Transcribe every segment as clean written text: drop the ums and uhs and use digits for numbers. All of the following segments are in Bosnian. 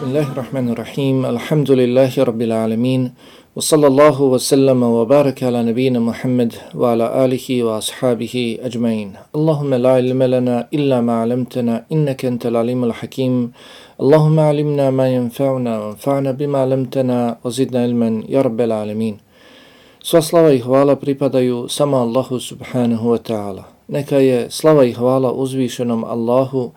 Bismillahirrahmanirrahim. Alhamdulillahi rabbil alamin. Wa sallallahu wa sallama wa baraka ala nabina Muhammad wa ala alihi wa ashabihi ajma'in. Allahumma la ilma lana illa ma 'allamtana innaka antal alimul hakim. Allahumma 'allimna ma yanfa'una wanfa'na bima 'allamtana wa zidna ilman ya rabbal alamin. Sva slava i hvala pripadaju samo Allahu subhanahu wa ta'ala. Neka je slava i hvala uzvišenom Allahu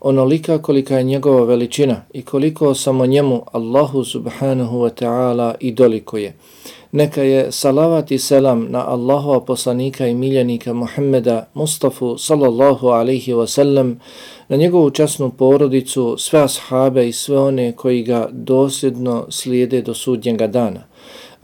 onolika kolika je njegova veličina i koliko samo njemu Allahu subhanahu wa ta'ala i dolikuje. Neka je salavat i selam na Allahova poslanika i miljenika Muhammeda Mustafa sallallahu alaihi wa sallam, na njegovu časnu porodicu, sve ashabe i sve one koji ga dosljedno slijede do sudnjega dana.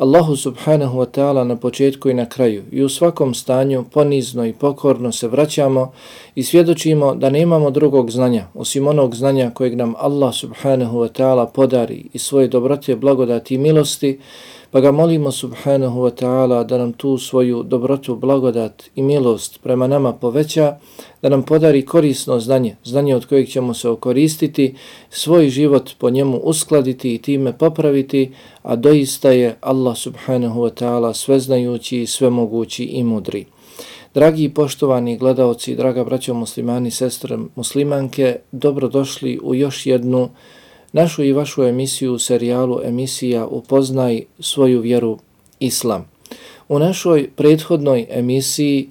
Allahu subhanahu wa ta'ala na početku i na kraju i u svakom stanju ponizno i pokorno se vraćamo i svjedočimo da nemamo drugog znanja osim onog znanja kojeg nam Allah subhanahu wa ta'ala podari i svoje dobrote, blagodati i milosti, pa ga molimo subhanahu wa ta'ala da nam tu svoju dobrotu, blagodat i milost prema nama poveća, da nam podari korisno znanje, znanje od kojeg ćemo se okoristiti, svoj život po njemu uskladiti i time popraviti, a doista je Allah subhanahu wa ta'ala sveznajući, svemogući i mudri. Dragi i poštovani gledaoci, draga braćo muslimani, sestre muslimanke, dobrodošli u još jednu našu i vašu emisiju, serijalu emisija Upoznaj svoju vjeru Islam. U našoj prethodnoj emisiji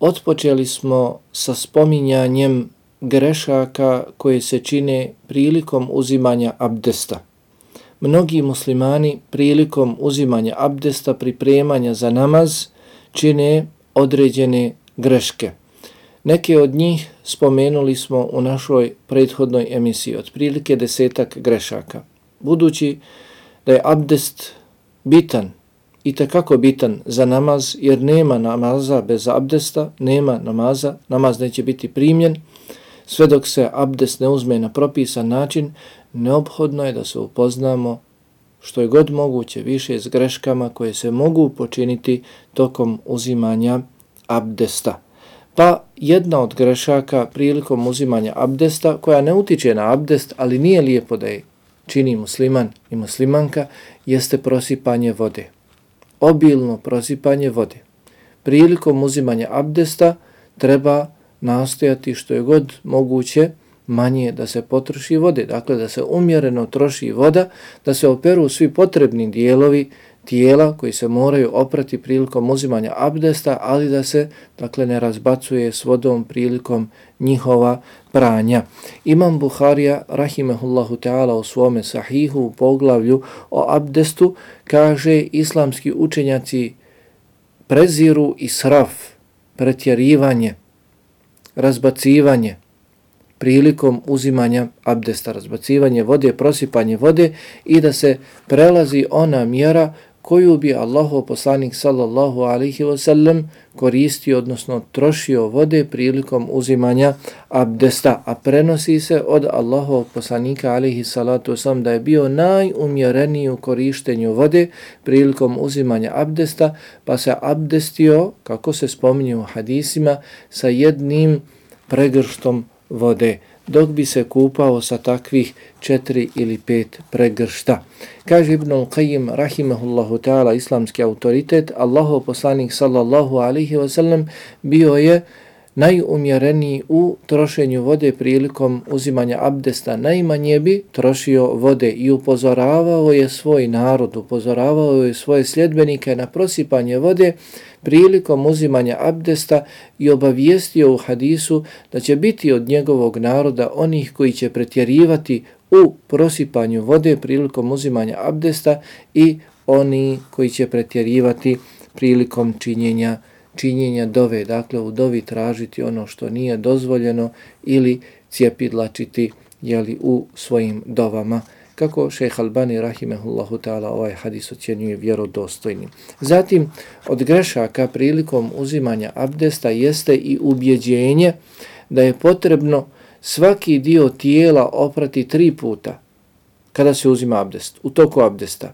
otpočeli smo sa spominjanjem grešaka koje se čine prilikom uzimanja abdesta. Mnogi muslimani prilikom uzimanja abdesta, pripremanja za namaz, čine određene greške. Neke od njih spomenuli smo u našoj prethodnoj emisiji, otprilike 10 grešaka. Budući da je abdest bitan, i tekako bitan za namaz, jer nema namaza bez abdesta, nema namaza, namaz neće biti primljen, sve dok se abdest ne uzme na propisan način, neophodno je da se upoznamo što je god moguće više s greškama koje se mogu počiniti tokom uzimanja abdesta. Pa jedna od grešaka prilikom uzimanja abdesta, koja ne utiče na abdest, ali nije lijepo da je čini musliman i muslimanka, jeste prosipanje vode. Obilno prosipanje vode. Prilikom uzimanja abdesta treba nastojati što je god moguće manje da se potroši vode, dakle da se umjereno troši voda, da se operu svi potrebni dijelovi tijela koji se moraju oprati prilikom uzimanja abdesta, ali da se dakle ne razbacuje s vodom prilikom njihova pranja. Imam Buharija rahimehullahu ta'ala u svome sahihu u poglavlju o abdestu kaže: islamski učenjaci preziru israf, pretjerivanje, razbacivanje prilikom uzimanja abdesta, razbacivanje vode, prosipanje vode i da se prelazi ona mjera koju bi Allahov poslanik sallallahu alaihi wa sallam koristio, odnosno trošio vode prilikom uzimanja abdesta, a prenosi se od Allahovog poslanika alaihi salatu wasallam da je bio najumjereniji u korištenju vode prilikom uzimanja abdesta, pa se abdestio, kako se spominje u hadisima, sa jednim pregrštom vode, dok bi se kupao sa takvih 4 ili 5 pregršta. Kaže Ibnul Qayyim rahimahullahu ta'ala, islamski autoritet, Allahov poslanik sallallahu alaihi wa sallam bio je najumjereniji u trošenju vode prilikom uzimanja abdesta. Najmanje bi trošio vode i upozoravao je svoj narod, upozoravao je svoje sljedbenike na prosipanje vode prilikom uzimanja abdesta i obavijestio u hadisu da će biti od njegovog naroda onih koji će pretjerivati u prosipanju vode prilikom uzimanja abdesta i oni koji će pretjerivati prilikom činjenja dove, dakle u dovi tražiti ono što nije dozvoljeno ili cijepidlačiti u svojim dovama, kako šejh Albani rahimehullahu ta'ala ovaj hadis ocjenjuje vjerodostojnim. Zatim, od grešaka prilikom uzimanja abdesta jeste i ubjeđenje da je potrebno svaki dio tijela oprati 3 puta kada se uzima abdest, u toku abdesta.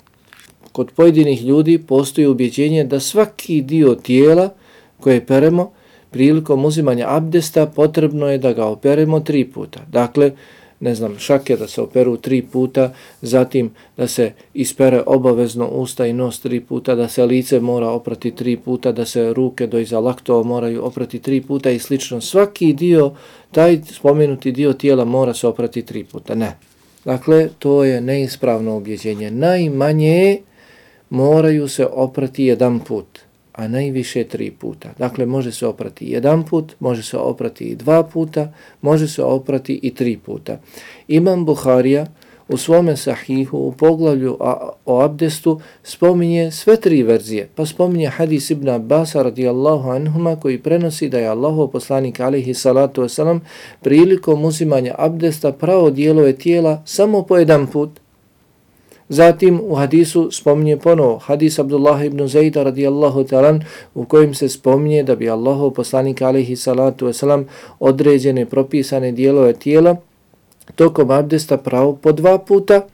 Kod pojedinih ljudi postoji ubjeđenje da svaki dio tijela koje peremo prilikom uzimanja abdesta potrebno je da ga operemo 3 puta. Dakle, šake da se operu 3 puta, zatim da se ispere obavezno usta i nos 3 puta, da se lice mora oprati 3 puta, da se ruke do iza laktova moraju oprati 3 puta i slično. Svaki dio, taj spomenuti dio tijela mora se oprati 3 puta. Ne. Dakle, to je neispravno ubjeđenje. Najmanje moraju se oprati 1 put, a najviše 3 puta. Dakle, može se oprati 1 put, može se oprati i 2 puta, može se oprati i 3 puta. Imam Buharija u svome sahihu u poglavlju o abdestu spominje sve 3 verzije. Pa spominje hadis Ibn Abbasa radijallahu anhuma koji prenosi da je Allahov poslanik alejhi salatu vesselam prilikom uzimanja abdesta pravo dijelove tijela samo po 1 put. Zatim u hadisu spominje ponovo hadis Abdullah ibn Zejda radijallahu ta'ala u kojem se spominje da bi Allahov poslanik alejhi salatu vesselam određene propisane dijelove tijela tokom abdesta pravo po 2 puta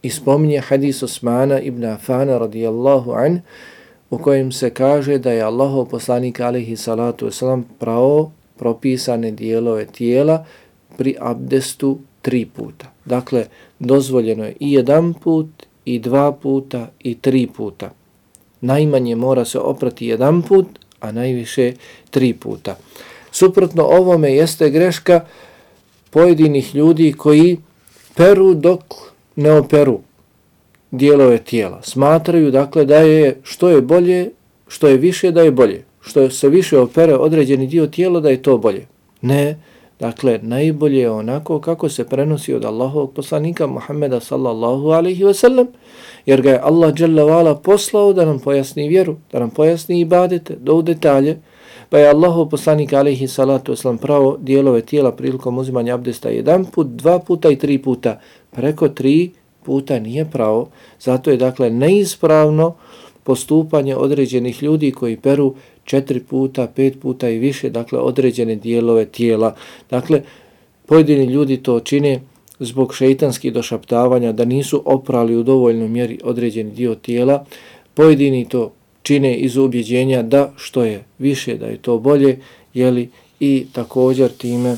i spominje hadis Osmana ibn Afana radijallahu an u kojem se kaže da je Allahov poslanik alejhi salatu vesselam pravo propisane dijelove tijela pri abdestu 3 puta. Dakle, dozvoljeno je i 1 put, i 2 puta, i 3 puta. Najmanje mora se oprati 1 put, a najviše 3 puta. Suprotno ovome jeste greška pojedinih ljudi koji peru dok ne operu dijelove tijela. Smatraju dakle da je što je bolje, što je više da je bolje. Što se više opere određeni dio tijela da je to bolje. Ne. Dakle, najbolje je onako kako se prenosi od Allahovog poslanika Muhammeda sallallahu alaihi wa sallam, jer ga je Allah dželle ve ala poslao da nam pojasni vjeru, da nam pojasni ibadete, do u detalje, pa je Allahov poslanik alaihi salatu wasalam pravo dijelove tijela prilikom uzimanja abdesta 1 put, 2 puta i 3 puta. Preko 3 puta nije pravo, zato je dakle neispravno postupanje određenih ljudi koji peru 4 puta, 5 puta i više, dakle određene dijelove tijela. Dakle, pojedini ljudi to čine zbog šeitanskih došaptavanja, da nisu oprali u dovoljnoj mjeri određeni dio tijela. Pojedini to čine iz ubjeđenja da što je više, da je to bolje, jeli, i također time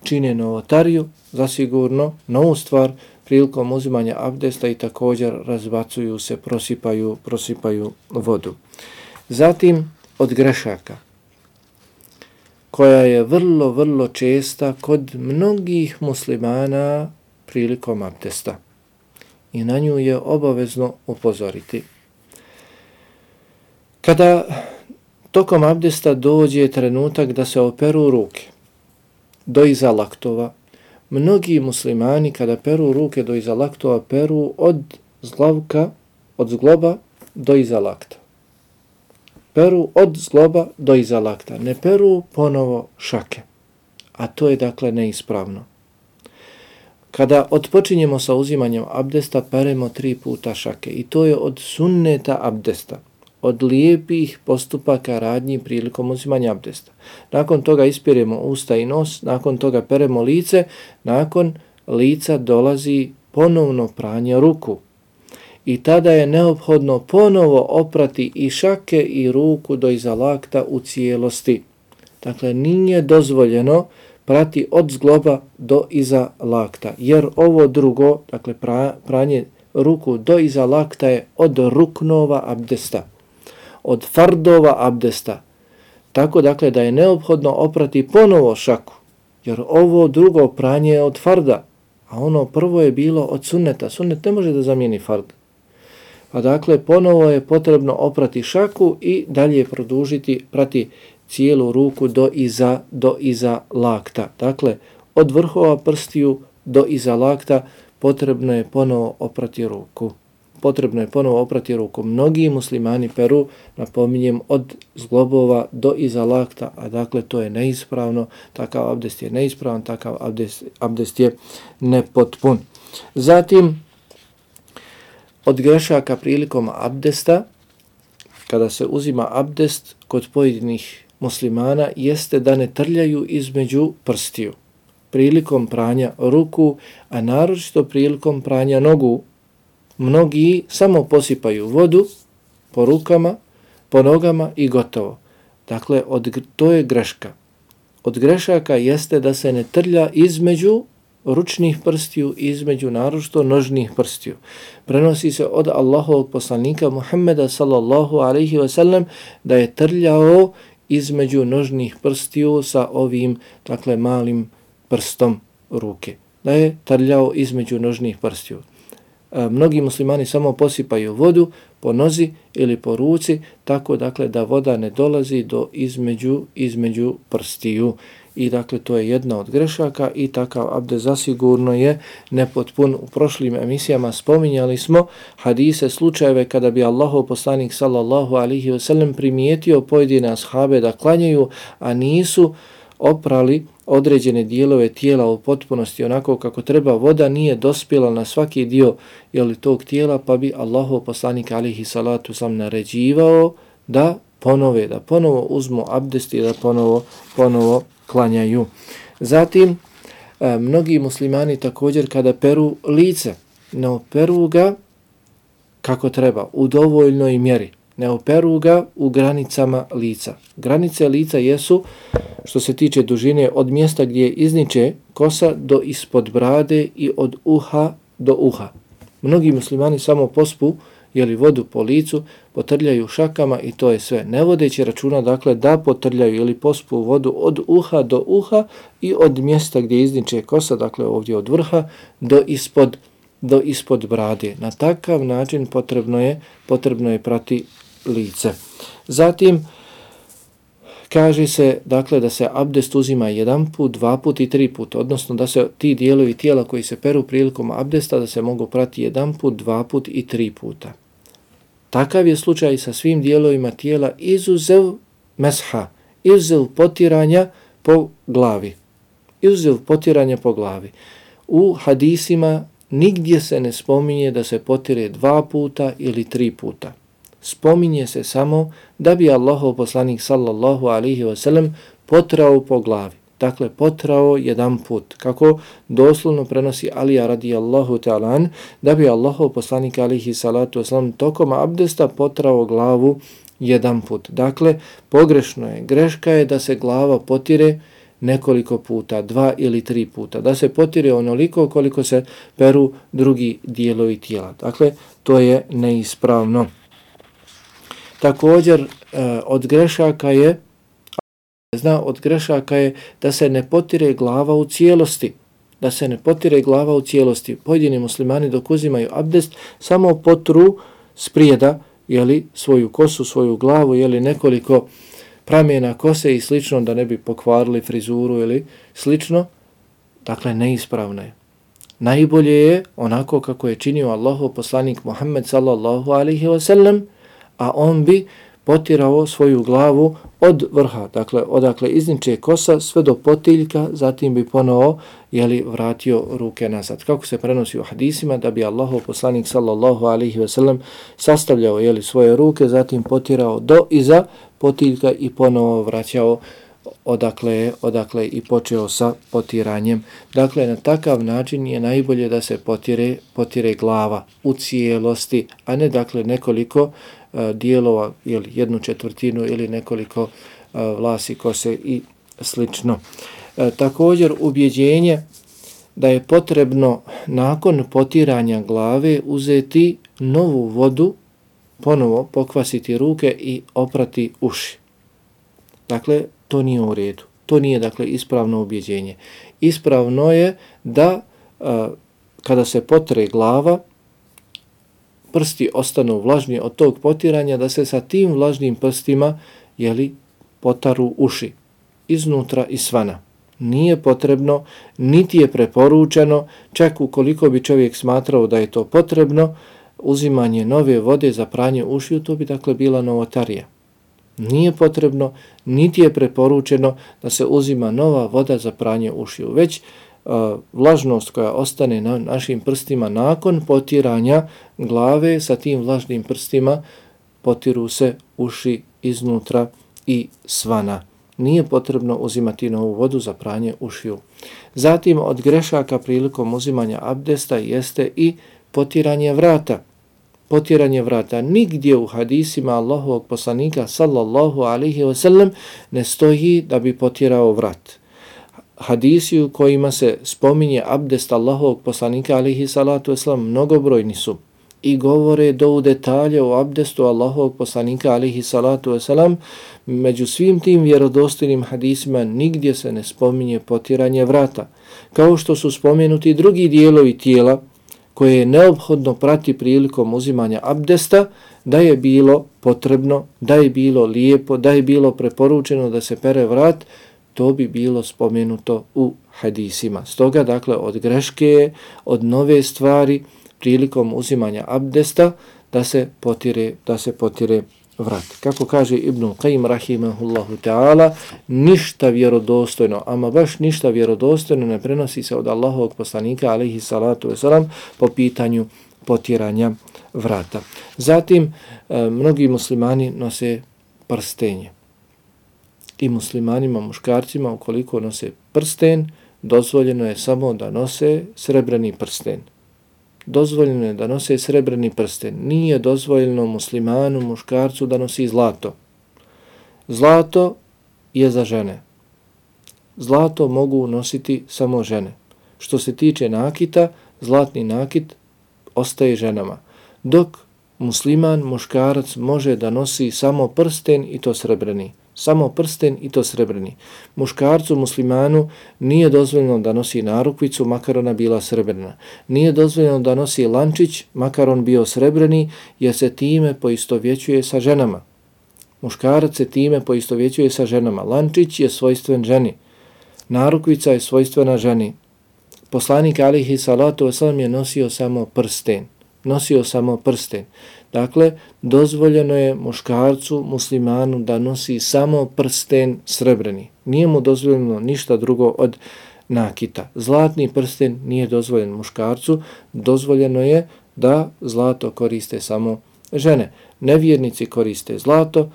čine novotariju, zasigurno, novu stvar prilikom uzimanja abdesta i također razbacuju se, prosipaju vodu. Zatim od grešaka, koja je vrlo česta kod mnogih muslimana prilikom abdesta. I na nju je obavezno upozoriti. Kada tokom abdesta dođe trenutak da se operu ruke do iza laktova, mnogi muslimani kada peru ruke do iza laktova, peru od zgloba do iza lakta. Peru od zgloba do iza lakta. Ne peru ponovo šake. A to je dakle neispravno. Kada odpočinjemo sa uzimanjem abdesta, peremo 3 puta šake. I to je od sunneta abdesta. Od lijepih postupaka radnji prilikom uzimanja abdesta. Nakon toga ispiremo usta i nos, nakon toga peremo lice, nakon lica dolazi ponovno pranje ruku. I tada je neophodno ponovo oprati i šake i ruku do iza lakta u cijelosti. Dakle, nije dozvoljeno prati od zgloba do iza lakta, jer ovo drugo, dakle pranje ruku do iza lakta je od ruknova abdesta, od fardova abdesta. Tako dakle da je neophodno oprati ponovo šaku, jer ovo drugo pranje je od farda, a ono prvo je bilo od sunneta. Sunnet ne može da zamijeni fard. Pa dakle ponovo je potrebno oprati šaku i dalje produžiti, prati cijelu ruku do iza lakta. Dakle, od vrhova prstiju do iza lakta potrebno je ponovo oprati ruku. Mnogi muslimani peru, napominjem, od zglobova do iza lakta, a dakle to je neispravno, takav abdest je neispravan, takav abdest je nepotpun. Zatim, od grešaka prilikom abdesta, kada se uzima abdest kod pojedinih muslimana, jeste da ne trljaju između prstiju. Prilikom pranja ruku, a naročito prilikom pranja nogu, mnogi samo posipaju vodu po rukama, po nogama i gotovo. Dakle, to je greška. Od grešaka jeste da se ne trlja između ručnih prstiju i između naročito nožnih prstiju. Prenosi se od Allahovog poslanika Muhammeda sallallahu alaihi wasallam da je trljao između nožnih prstiju sa ovim, dakle, malim prstom ruke. Da je trljao između nožnih prstiju. Mnogi muslimani samo posipaju vodu po nozi ili po ruci, tako, dakle, da voda ne dolazi do između prstiju. I, dakle, to je jedna od grešaka i takav abdest zasigurno je nepotpun. U prošlim emisijama spominjali smo hadise, slučajeve kada bi Allahov poslanik sallallahu alaihi wasallam primijetio pojedine ashabe da klanjaju, a nisu oprali određene dijelove tijela u potpunosti onako kako treba, voda nije dospjela na svaki dio tog tijela, pa bi Allahov poslanik alejhi salatu vesselam naređivao da ponovo uzmu abdest i da ponovo klanjaju. Zatim, mnogi muslimani također kada peru lice, ne operu ga kako treba, u dovoljnoj mjeri. Ne operu ga u granicama lica. Granice lica jesu, što se tiče dužine, od mjesta gdje izniče kosa do ispod brade i od uha do uha. Mnogi muslimani samo pospu vodu po licu, potrljaju šakama i to je sve. Ne vodeći računa, dakle, da potrljaju ili pospu vodu od uha do uha i od mjesta gdje izniče kosa, dakle ovdje od vrha do ispod brade. Na takav način potrebno je prati lice. Zatim, kaže se, dakle, da se abdest uzima 1 put, 2 put i 3 put, odnosno da se ti dijelovi tijela koji se peru prilikom abdesta da se mogu prati 1 put, 2 put i 3 puta. Takav je slučaj sa svim dijelovima tijela izuzev mesha, izuzev potiranja po glavi. U hadisima nigdje se ne spominje da se potire 2 puta ili 3 puta. Spominje se samo da bi Allahov poslanik sallallahu alaihi wasallam potrao po glavi. Dakle, potrao 1 put. Kako doslovno prenosi Alija radijallahu ta'ala, da bi Allahov poslanik alaihi salatu wasallam tokom abdesta potrao glavu 1 put. Dakle, pogrešno je, greška je da se glava potire nekoliko puta, 2 ili 3 puta. Da se potire onoliko koliko se peru drugi dijelovi tijela. Dakle, to je neispravno. Također, od grešaka je da se ne potire glava u cijelosti. Pojedini muslimani dok uzimaju abdest samo potru sprijeda, svoju kosu, svoju glavu, nekoliko pramjena kose i slično, da ne bi pokvarili frizuru ili slično. Dakle, neispravno je. Najbolje je onako kako je činio Allahov poslanik Muhammed sallallahu alaihi wasallam, a on bi potirao svoju glavu od vrha, dakle odakle izniče kosa sve do potiljka, zatim bi ponovo vratio ruke nazad. Kako se prenosi u hadisima, da bi Allahov poslanik sallallahu alaihi wasallam sastavljao svoje ruke, zatim potirao do iza potiljka i ponovo vraćao odakle i počeo sa potiranjem. Dakle, na takav način je najbolje da se potire glava u cijelosti, a ne dakle nekoliko dijelova, 1/4 ili nekoliko vlasi, kose i slično. Također, ubjeđenje da je potrebno nakon potiranja glave uzeti novu vodu, ponovo pokvasiti ruke i oprati uši. Dakle, to nije u redu. To nije, dakle, ispravno ubjeđenje. Ispravno je da kada se potre glava, prsti ostanu vlažni od tog potiranja, da se sa tim vlažnim prstima potaru uši iznutra i svana. Nije potrebno, niti je preporučeno, čak ukoliko bi čovjek smatrao da je to potrebno, uzimanje nove vode za pranje ušiju, to bi dakle bila novotarija. Nije potrebno, niti je preporučeno da se uzima nova voda za pranje ušiju, već vlažnost koja ostane na našim prstima nakon potiranja glave, sa tim vlažnim prstima potiru se uši iznutra i svana. Nije potrebno uzimati novu vodu za pranje ušiju. Zatim, od grešaka prilikom uzimanja abdesta jeste i potiranje vrata. Potiranje vrata. Nigdje u hadisima Allahovog poslanika sallallahu alaihi wasallam ne stoji da bi potirao vrat. hadisi u kojima se spominje abdest Allahovog poslanika alejhi salatu vesselam mnogobrojni su i govore do u detalje o abdestu Allahovog poslanika alejhi salatu vesselam. Među svim tim vjerodostojnim hadisima nigdje se ne spominje potiranje vrata, kao što su spomenuti drugi dijelovi tijela koje je neophodno prati prilikom uzimanja abdesta, da je bilo potrebno, da je bilo lijepo, da je bilo preporučeno da se pere vrat, to bi bilo spomenuto u hadisima. Stoga, dakle, od greške, od nove stvari prilikom uzimanja abdesta da se potire vrat. Kako kaže Ibn Qayyim rahimahullahu ta'ala, ništa vjerodostojno, ama baš ništa vjerodostojno ne prenosi se od Allahovog poslanika alejhi salatu vesselam po pitanju potiranja vrata. Zatim, mnogi muslimani nose prstenje. I muslimanima, muškarcima, ukoliko nose prsten, dozvoljeno je samo da nose srebrni prsten. Dozvoljeno je da nose srebrni prsten. Nije dozvoljeno muslimanu, muškarcu da nosi zlato. Zlato je za žene. Zlato mogu nositi samo žene. Što se tiče nakita, zlatni nakit ostaje ženama. Dok musliman, muškarac može da nosi samo prsten i to srebrni. Samo prsten i to srebrni. Muškarcu, muslimanu nije dozvoljeno da nosi narukvicu, makar ona bila srebrna. Nije dozvoljeno da nosi lančić, makar on bio srebrni, jer se time poistovjećuje sa ženama. Muškarac se time poistovjećuje sa ženama. Lančić je svojstven ženi. Narukvica je svojstvena ženi. Poslanik alejhi salatu vesselam je nosio samo prsten. Nosio samo prsten. Dakle, dozvoljeno je muškarcu, muslimanu da nosi samo prsten srebrni. Nije mu dozvoljeno ništa drugo od nakita. Zlatni prsten nije dozvoljen muškarcu, dozvoljeno je da zlato koriste samo žene. Nevjernici koriste zlato,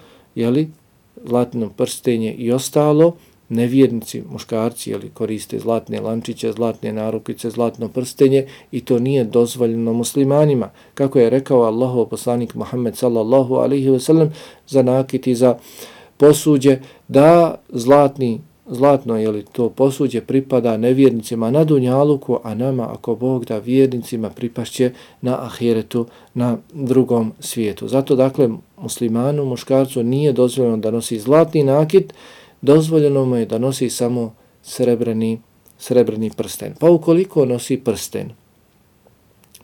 zlatno prstenje i ostalo. Nevjernici, muškarci, koriste zlatne lančiće, zlatne narukvice, zlatno prstenje i to nije dozvoljeno muslimanima. Kako je rekao Allahov poslanik Muhammed sallallahu alejhi ve sellem za nakit i za posuđe, da zlatno to posuđe pripada nevjernicima na dunjaluku, a nama, ako Bog da, vjernicima pripašće na ahiretu, na drugom svijetu. Zato, dakle, muslimanu, muškarcu nije dozvoljeno da nosi zlatni nakit, dozvoljeno mu je da nosi samo srebrni prsten. Pa ukoliko nosi prsten,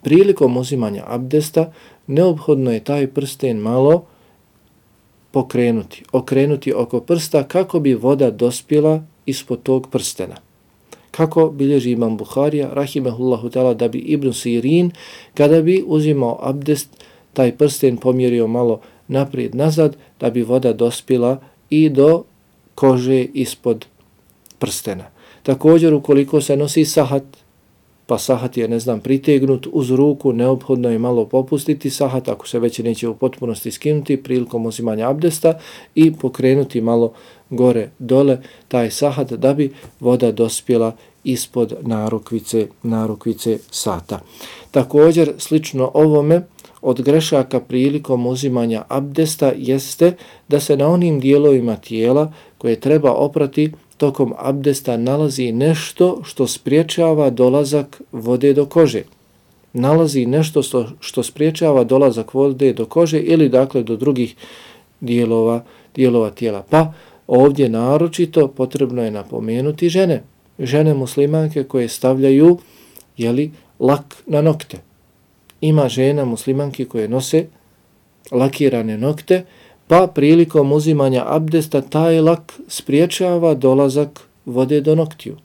prilikom uzimanja abdesta, neophodno je taj prsten malo okrenuti oko prsta kako bi voda dospjela ispod tog prstena. Kako bilježi Imam Buharija, rahimehullahu ta'ala, da bi Ibn Sirin, kada bi uzimao abdest, taj prsten pomjerio malo naprijed nazad, da bi voda dospjela i do kože ispod prstena. Također, ukoliko se nosi sahat, pa sahat je, pritegnut uz ruku, neophodno je malo popustiti sahat, ako se već neće u potpunosti skinuti prilikom uzimanja abdesta, i pokrenuti malo gore dole taj sahat da bi voda dospjela ispod narukvice sata. Također, slično ovome, od grešaka prilikom uzimanja abdesta jeste da se na onim dijelovima tijela koje treba oprati tokom abdesta nalazi nešto što spriječava dolazak vode do kože. Nalazi nešto što spriječava dolazak vode do kože ili dakle do drugih dijelova tijela. Pa ovdje naročito potrebno je napomenuti žene muslimanke koje stavljaju lak na nokte. Ima žena muslimanki koje nose lakirane nokte, pa prilikom uzimanja abdesta taj lak spriječava dolazak vode do noktiju.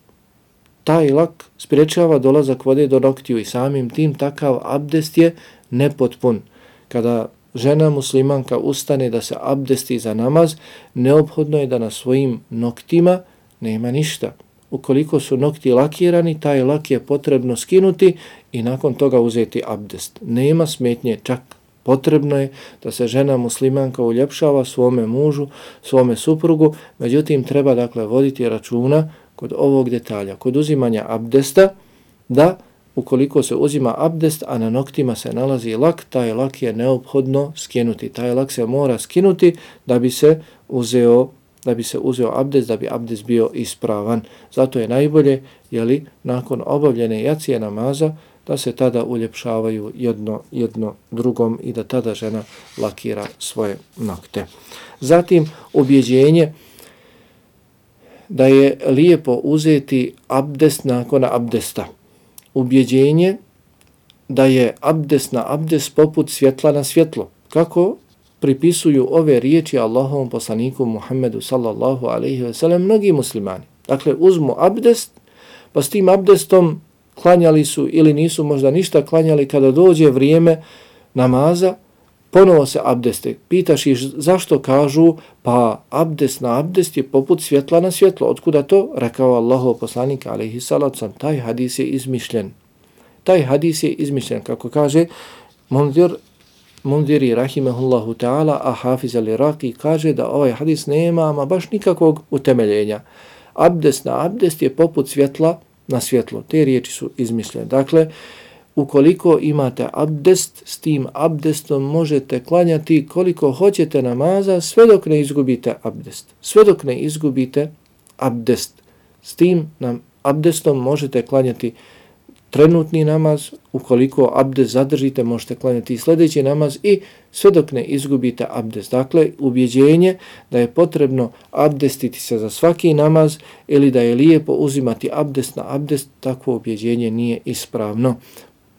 Taj lak spriječava dolazak vode do noktiju i samim tim takav abdest je nepotpun. Kada žena muslimanka ustane da se abdesti za namaz, neophodno je da na svojim noktima nema ništa. Ukoliko su nokti lakirani, taj lak je potrebno skinuti i nakon toga uzeti abdest. Nema smetnje, čak potrebno je da se žena muslimanka uljepšava svome mužu, svome suprugu, međutim treba dakle voditi računa kod ovog detalja, kod uzimanja abdesta, da ukoliko se uzima abdest, a na noktima se nalazi lak, taj lak je neophodno skinuti. Taj lak se mora skinuti da bi se uzeo da bi se uzeo abdest, da bi abdest bio ispravan. Zato je najbolje, nakon obavljene jacije namaza, da se tada uljepšavaju jedno drugom i da tada žena lakira svoje nokte. Zatim, ubjeđenje da je lijepo uzeti abdest nakon abdesta. Ubjeđenje da je abdest na abdest poput svjetla na svjetlo. Kako pripisuju ove riječi Allahovom poslaniku Muhammedu sallallahu alejhi ve sellem mnogi muslimani. Dakle, uzmu abdest, pa s tim abdestom klanjali su ili nisu možda ništa klanjali, kada dođe vrijeme namaza, ponovo se abdeste. Pitaš ih zašto, kažu, pa abdest na abdest je poput svjetla na svjetlo. Otkuda to? Rekao Allahov poslanik alejhi salatu vesselam, taj hadis je izmišljen. Taj hadis je izmišljen, kako kaže Mundiri rahimehullahu ta'ala, a Hafiz al-Iraqi kaže da ovaj hadis nema ama baš nikakvog utemeljenja. Abdest na abdest je poput svjetla na svjetlo. Te riječi su izmišljene. Dakle, ukoliko imate abdest, s tim abdestom možete klanjati koliko hoćete namaza, sve dok ne izgubite abdest. Sve dok ne izgubite abdest. S tim abdestom možete klanjati trenutni namaz, ukoliko abdest zadržite, možete klanjati i sljedeći namaz i sve dok ne izgubite abdest. Dakle, ubjeđenje da je potrebno abdestiti se za svaki namaz ili da je lijepo uzimati abdest na abdest, takvo ubjeđenje nije ispravno.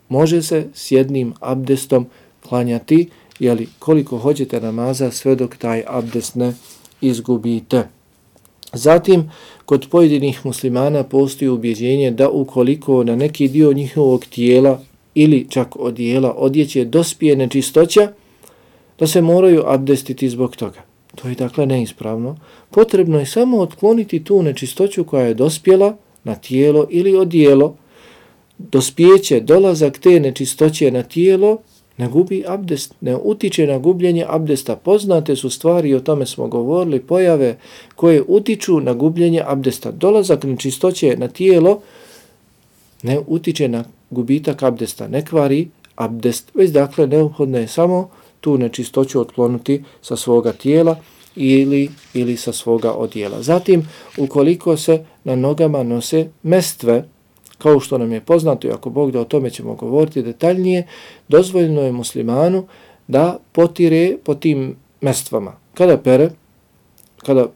Može se s jednim abdestom klanjati, koliko hoćete namaza, sve dok taj abdest ne izgubite. Zatim, kod pojedinih muslimana postoji ubjeđenje da ukoliko na neki dio njihovog tijela ili čak odijela, odjeće dospije nečistoća, da se moraju abdestiti zbog toga. To je dakle neispravno. Potrebno je samo otkloniti tu nečistoću koja je dospjela na tijelo ili odijelo. Dospijeće, dolazak te nečistoće na tijelo ne gubi abdest, ne utiče na gubljenje abdesta. Poznate su stvari, o tome smo govorili, pojave koje utiču na gubljenje abdesta. Dolazak nečistoće na tijelo ne utiče na gubitak abdesta, ne kvari abdest, već dakle neophodno je samo tu nečistoću otkloniti sa svoga tijela ili sa svoga odijela. Zatim, ukoliko se na nogama nose mestve, kao što nam je poznato, i ako Bog da, o tome ćemo govoriti detaljnije, dozvoljeno je muslimanu da potire po tim mestvama. Kada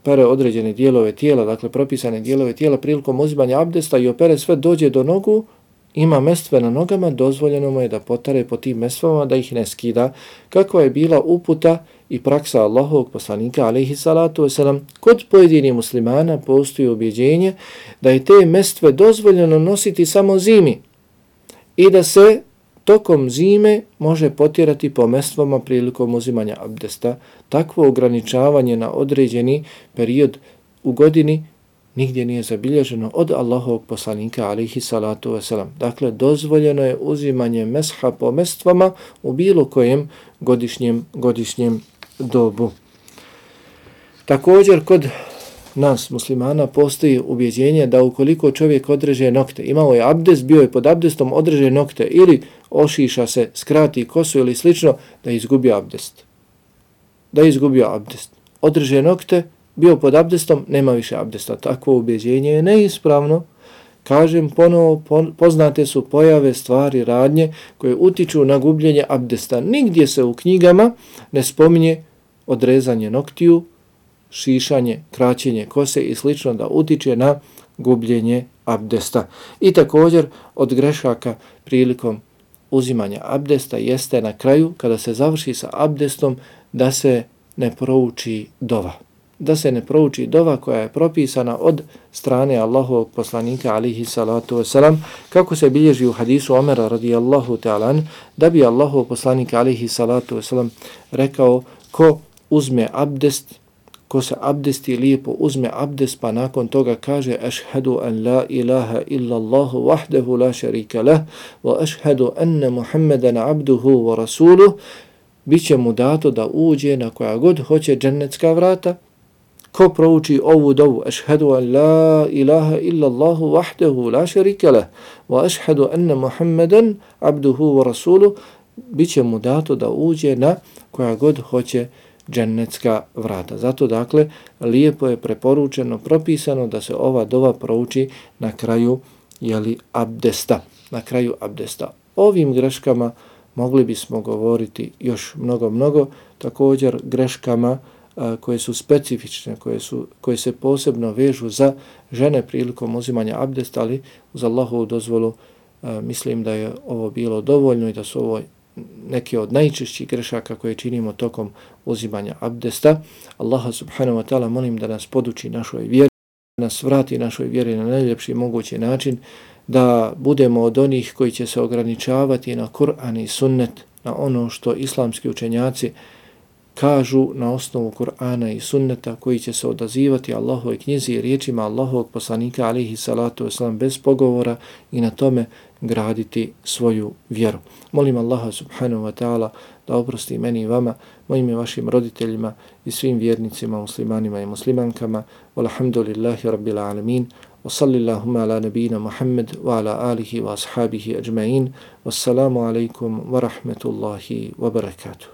pere određene dijelove tijela, dakle propisane dijelove tijela, prilikom uzimanja abdesta i opere sve, dođe do nogu, ima mestve na nogama, dozvoljeno mu je da potare po tim mestvama, da ih ne skida. Kakva je bila uputa i praksa Allahovog poslanika alejhi salatu vesselam, kod pojedinih muslimana postoji ubjeđenje da je te mestve dozvoljeno nositi samo zimi i da se tokom zime može potirati po mestvama prilikom uzimanja abdesta. Takvo ograničavanje na određeni period u godini nigdje nije zabilježeno od Allahovog poslanika alejhi salatu vesselam. Dakle, dozvoljeno je uzimanje mesha po mestvama u bilo kojem godišnjem dobu. Također, kod nas muslimana postoji ubjeđenje da ukoliko čovjek odreže nokte, imao je abdest, bio je pod abdestom, odreže nokte ili ošiša se, skrati kosu ili slično, da izgubio abdest. Odreže nokte, bio pod abdestom, nema više abdesta. Takvo ubjeđenje je neispravno. Kažem ponovo, poznate su pojave, stvari, radnje koje utiču na gubljenje abdesta. Nigdje se u knjigama ne spominje odrezanje noktiju, šišanje, kraćenje kose i slično da utiče na gubljenje abdesta. I također od grešaka prilikom uzimanja abdesta jeste na kraju, kada se završi sa abdestom, da se ne prouči dova. Da se ne prouči dova koja je propisana od strane Allahovog poslanika alejhi salatu vesselam, kako se bilježi u hadisu Omera radijallahu ta'ala, da bi Allahov poslanik alejhi salatu vesselam rekao, ko uzme abdest, ko se abdesti, lijepo uzme abdest, pa nakon toga kaže ašhadu an la ilaha illa Allahu wahdahu la sharika lah wa ašhadu anna Muhammadan abduhu wa rasuluh, biće mu dato da uđe na koja god hoće džennetska vrata. Ko prouči ovu dovu, ašhadu an la ilaha illa Allahu wahdahu la sharika lah wa ašhadu anna Muhammadan abduhu wa rasuluh, biće mu dato da uđe na koja god hoće džennetska vrata. Zato dakle lijepo je preporučeno, propisano da se ova dova prouči na kraju abdesta. Na kraju abdesta. Ovim greškama mogli bismo govoriti još mnogo, također greškama koje su specifične, koje se posebno vežu za žene prilikom uzimanja abdesta, ali uz Allahovu dozvolu mislim da je ovo bilo dovoljno i da su ovo neke od najčešćih grešaka koje činimo tokom uzimanja abdesta. Allaha subhanahu wa ta'ala molim da nas poduči našoj vjeri, da nas vrati našoj vjeri na najljepši mogući način, da budemo od onih koji će se ograničavati na Kur'an i sunnet, na ono što islamski učenjaci kažu na osnovu Kur'ana i sunneta, koji će se odazivati Allahovoj knjizi i riječima Allahovog poslanika alihi salatu wasalam bez pogovora i na tome graditi svoju vjeru. Molim Allaha subhanahu wa ta'ala da oprosti meni i vama, mojim i vašim roditeljima i svim vjernicima, muslimanima i muslimankama. Walhamdulillahi rabbil alamin. Wa sallillahumma ala nabina Muhammad wa ala alihi wa ashabihi ajma'in. Wassalamu alaikum wa rahmatullahi wa barakatuh.